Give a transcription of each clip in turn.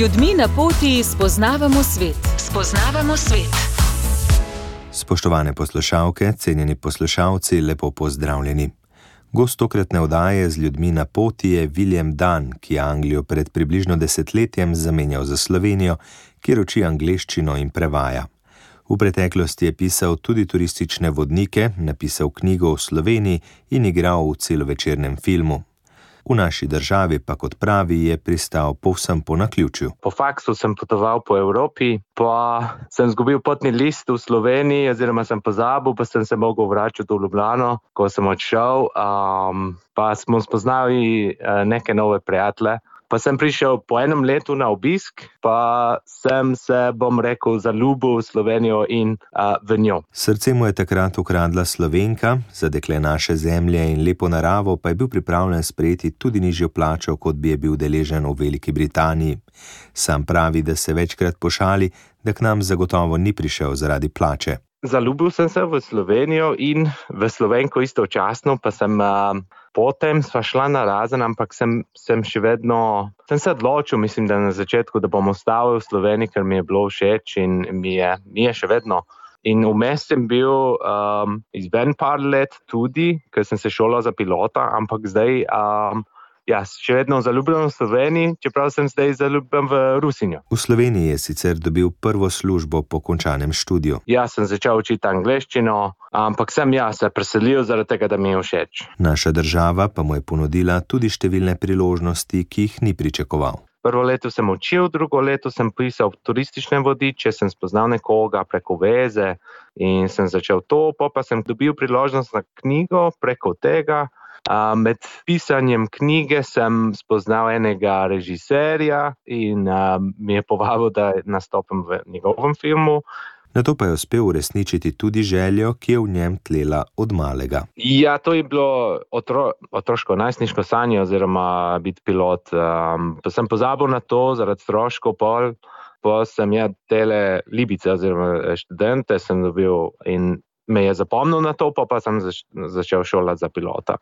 ljudmi na poti spoznavamo svet. Spoznavamo svet. Spoštovane poslušalke, cenjeni poslušalci, lepo pozdravljeni. Gost tokratne oddaje z ljudmi na poti je William Dunn, ki je Anglijo pred približno desetletjem zamenjal za Slovenijo, kjer uči angleščino in prevaja. V preteklosti je pisal tudi turistične vodnike, napisal knjigo o Sloveniji in igral v celovečernem filmu. V naši državi pa, kot pravi, je pristal povsem po naključju. Po faksu sem potoval po Evropi, pa sem zgubil potni list v Sloveniji, oziroma sem pozabil, pa sem se mogel vračati v Ljubljano, ko sem odšel, pa smo spoznali neke nove prijatelje. Pa sem prišel po enem letu na obisk, pa sem se, zaljubil v Slovenijo in v njo. Srce mu je takrat ukradla Slovenka, za dekle naše zemlje in lepo naravo pa je bil pripravljen sprejeti tudi nižjo plačo, kot bi je bil deležen v Veliki Britaniji. Sam pravi, da se večkrat pošali, da k nam zagotovo ni prišel zaradi plače. Zaljubil sem se v Slovenijo in v Slovenko istočasno, pa sem potem sva šla na razen, ampak sem se odločil, mislim, da na začetku, da bom ostal v Sloveniji, ker mi je bilo všeč in mi je še vedno. In vmes sem bil izven par let tudi, ker sem se šolal za pilota, ampak zdaj še vedno zaljubljen v Sloveniji, čeprav sem zdaj zaljubljen v Rusinjo. V Sloveniji je sicer dobil prvo službo po končanem študiju. Sem začel učiti angleščino, ampak sem se preselil zaradi tega, da mi je všeč. Naša država pa mu je ponudila tudi številne priložnosti, ki jih ni pričakoval. Prvo leto sem učil, drugo leto sem pisal turistične vodiče, sem spoznal nekoga preko veze in sem začel to, pa sem dobil priložnost na knjigo preko tega. Med pisanjem knjige sem spoznal enega režiserja in mi je povabil, da nastopim v njegovem filmu. Nato pa je uspel uresničiti tudi željo, ki je v njem tlela od malega. To je bilo otroško, najstniško sanje oziroma biti pilot. Pa sem pozabil na to zaradi stroškov pa sem tele libice oziroma študente sem dobil in me je zapomnil na to, pa sem začel šolati za pilota.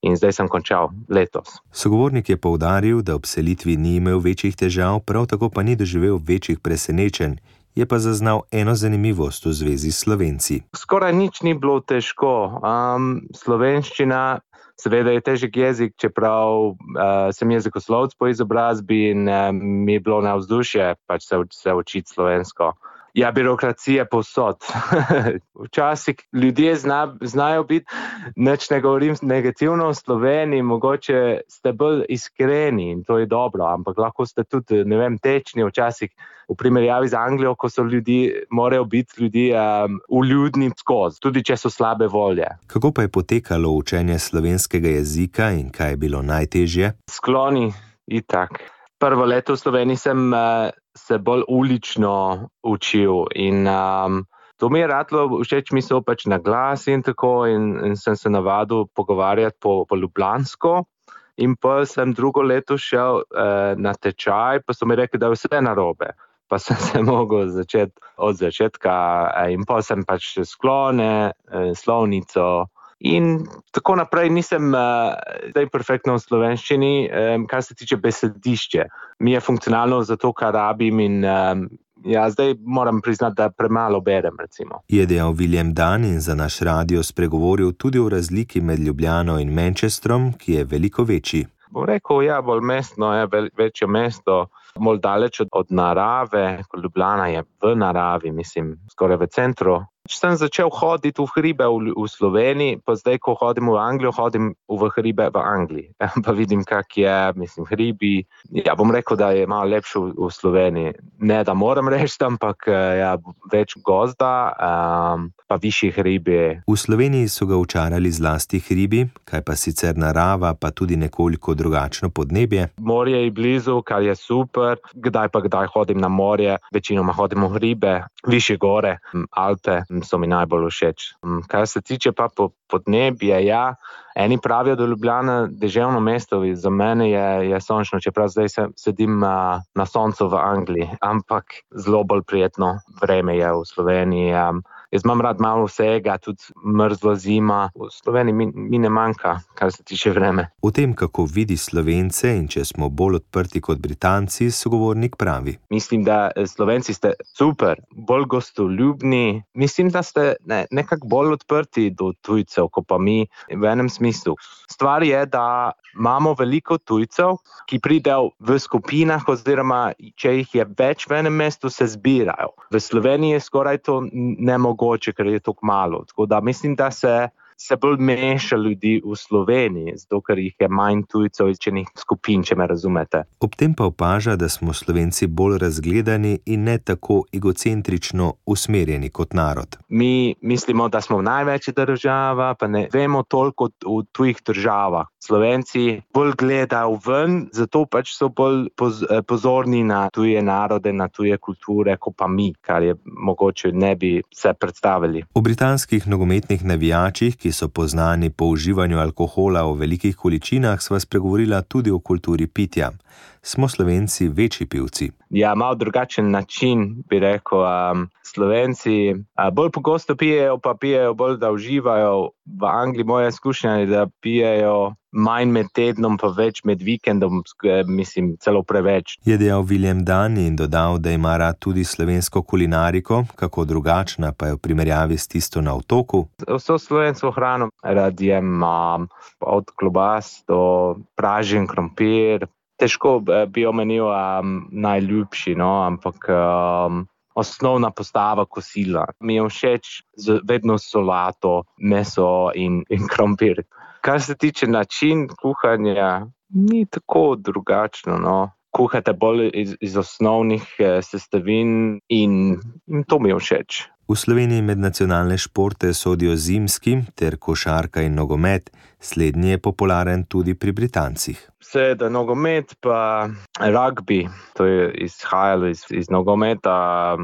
In zdaj sem končal letos. Sogovornik je poudaril, da ob selitvi ni imel večjih težav, prav tako pa ni doživel večjih presenečenj. Je pa zaznal eno zanimivost v zvezi s Slovenci. Skoraj nič ni bilo težko. Slovenščina seveda je težek jezik, čeprav sem jezikoslovec po izobrazbi in mi je bilo navzdušje se učiti slovensko. Birokracija povsod. Včasih ljudje znajo biti, nič ne govorim negativno v Sloveniji, mogoče ste bolj iskreni in to je dobro, ampak lahko ste tudi, tečni včasih v primerjavi z Anglijo, ko so morajo biti ljudje vljudni skozi, tudi če so slabe volje. Kako pa je potekalo učenje slovenskega jezika in kaj je bilo najtežje? Skloni, itak. Prvo leto v Sloveniji sem se bolj ulično učil in to mi je ratlo všeč, mi so na glas in tako in sem se navadil pogovarjati po ljubljansko in pa sem drugo leto šel na tečaj, pa so mi rekli, da je vse narobe. Pa sem se mogel začeti od začetka in pa sem sklone, slovnico in tako naprej. Nisem zdaj perfektno v slovenščini, kar se tiče besedišče. Mi je funkcionalno za to, kar rabim in zdaj moram priznati, da premalo berem, recimo. Je dejal William Dunn in za naš radio spregovoril tudi o razliki med Ljubljano in Manchesterom, ki je veliko večji. Bom rekel, bolj mestno, večje mesto, bolj daleč od narave, kot Ljubljana je v naravi, skoraj v centru. Sem začel hoditi v hribe v Sloveniji, pa zdaj, ko hodim v Anglijo, hodim v hribe v Angliji. Pa vidim, kak je, hribi. Bom rekel, da je malo lepše v Sloveniji. Ne, da moram reči, ampak več gozda, pa višji hribi. V Sloveniji so ga očarali zlasti hribi, kaj pa sicer narava, pa tudi nekoliko drugačno podnebje. Morje je blizu, kar je super. Kdaj hodim na morje, večinoma hodim v hribe, višje gore, Alpe so mi najbolj všeč. Kar se tiče pa podnebje, eni pravijo, da je Ljubljana deževno mesto, za mene je sončno, čeprav zdaj sedim na soncu v Angliji, ampak zelo bolj prijetno vreme je v Sloveniji. Jaz imam rad malo vsega, tudi mrzla zima. V Sloveniji mi ne manjka, kar se tiče vreme. O tem, kako vidi Slovence in če smo bolj odprti kot Britanci, sogovornik pravi. Mislim, da Slovenci ste super, bolj gostoljubni. Mislim, da ste nekako bolj odprti do tujcev, kot pa mi v enem smislu. Stvar je, da imamo veliko tujcev, ki pridejo v skupinah oziroma če jih je več v enem mestu, se zbirajo. V Sloveniji je skoraj to nemogoče, ker je tako malo. Tako da mislim, da se bolj meša ljudi v Sloveniji, zato ker jih je manj tujcev izčenih skupin, če me razumete. Ob tem pa opaža, da smo Slovenci bolj razgledani in ne tako egocentrično usmerjeni kot narod. Mi mislimo, da smo največja država, pa ne vemo toliko v tujih državah. Slovenci bolj gledajo ven, zato pač so bolj pozorni na tuje narode, na tuje kulture, kot pa mi, kar je mogoče ne bi se predstavili. O britanskih nogometnih navijačih, ki so poznani po uživanju alkohola v velikih količinah, sva spregovorila tudi o kulturi pitja. Smo Slovenci večji pivci? Ja, malo drugačen način, bi rekel. Slovenci bolj pogosto pijejo, pa pijejo bolj, da uživajo. V Angliji moja izkušnja je, da pijejo manj med tednom, pa več med vikendom, mislim, celo preveč. Je dejal William Dunn in dodal, da ima rad tudi slovensko kulinariko, kako drugačna pa je v primerjavi s tisto na otoku. Vso slovensko hrano rad jem, od klobas do pražen krompir. Težko bi omenil najljubši, ampak osnovna postava kosila. Mi je všeč vedno solato, meso in krompir. Kar se tiče način kuhanja, ni tako drugačno. Kuhate bolj iz osnovnih sestavin in to mi je všeč. V Sloveniji med nacionalne športe sodijo zimski ter košarka in nogomet, slednji je popularen tudi pri Britancih. Seveda nogomet pa rugby, to je izhajalo iz nogometa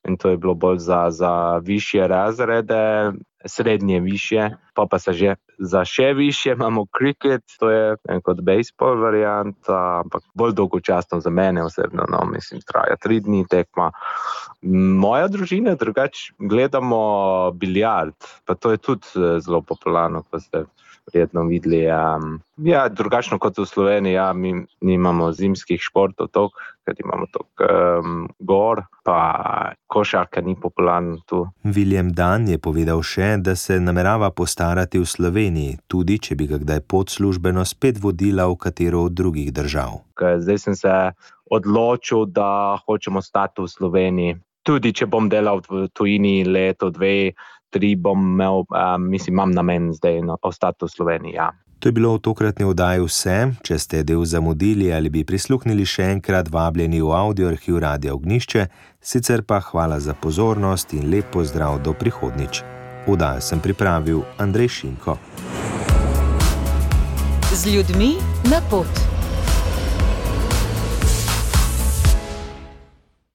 in to je bilo bolj za višje razrede, srednje višje, pa se že za še višje imamo kriket, to je kot bejzbol varianta, ampak bolj dolgočasno za mene osebno, mislim, traja 3 dni tekma. Moja družina drugače gledamo biljard, pa to je tudi zelo popularno, ko ste verjetno videli. Ja, drugačno kot v Sloveniji, mi nimamo zimskih športov toliko, ker imamo toliko gor, pa košarka ni popularna tu. William Dunn je povedal še, da se namerava postarati v Sloveniji, tudi če bi ga kdaj pot službeno spet vodila v katero od drugih držav. Zdaj sem se odločil, da hočem ostati v Sloveniji. Tudi če bom delal v tujini leto, 2, 3 bom imel, imam namen zdaj ostati v Sloveniji, ja. To je bilo v tokratni oddaji vse. Če ste del zamudili ali bi prisluhnili še enkrat, vabljeni v audioarhiv Radia Ognjišče, sicer pa hvala za pozornost in lep pozdrav do prihodnjič. Oddajo sem pripravil Andrej Šinko. Z ljudmi na pot.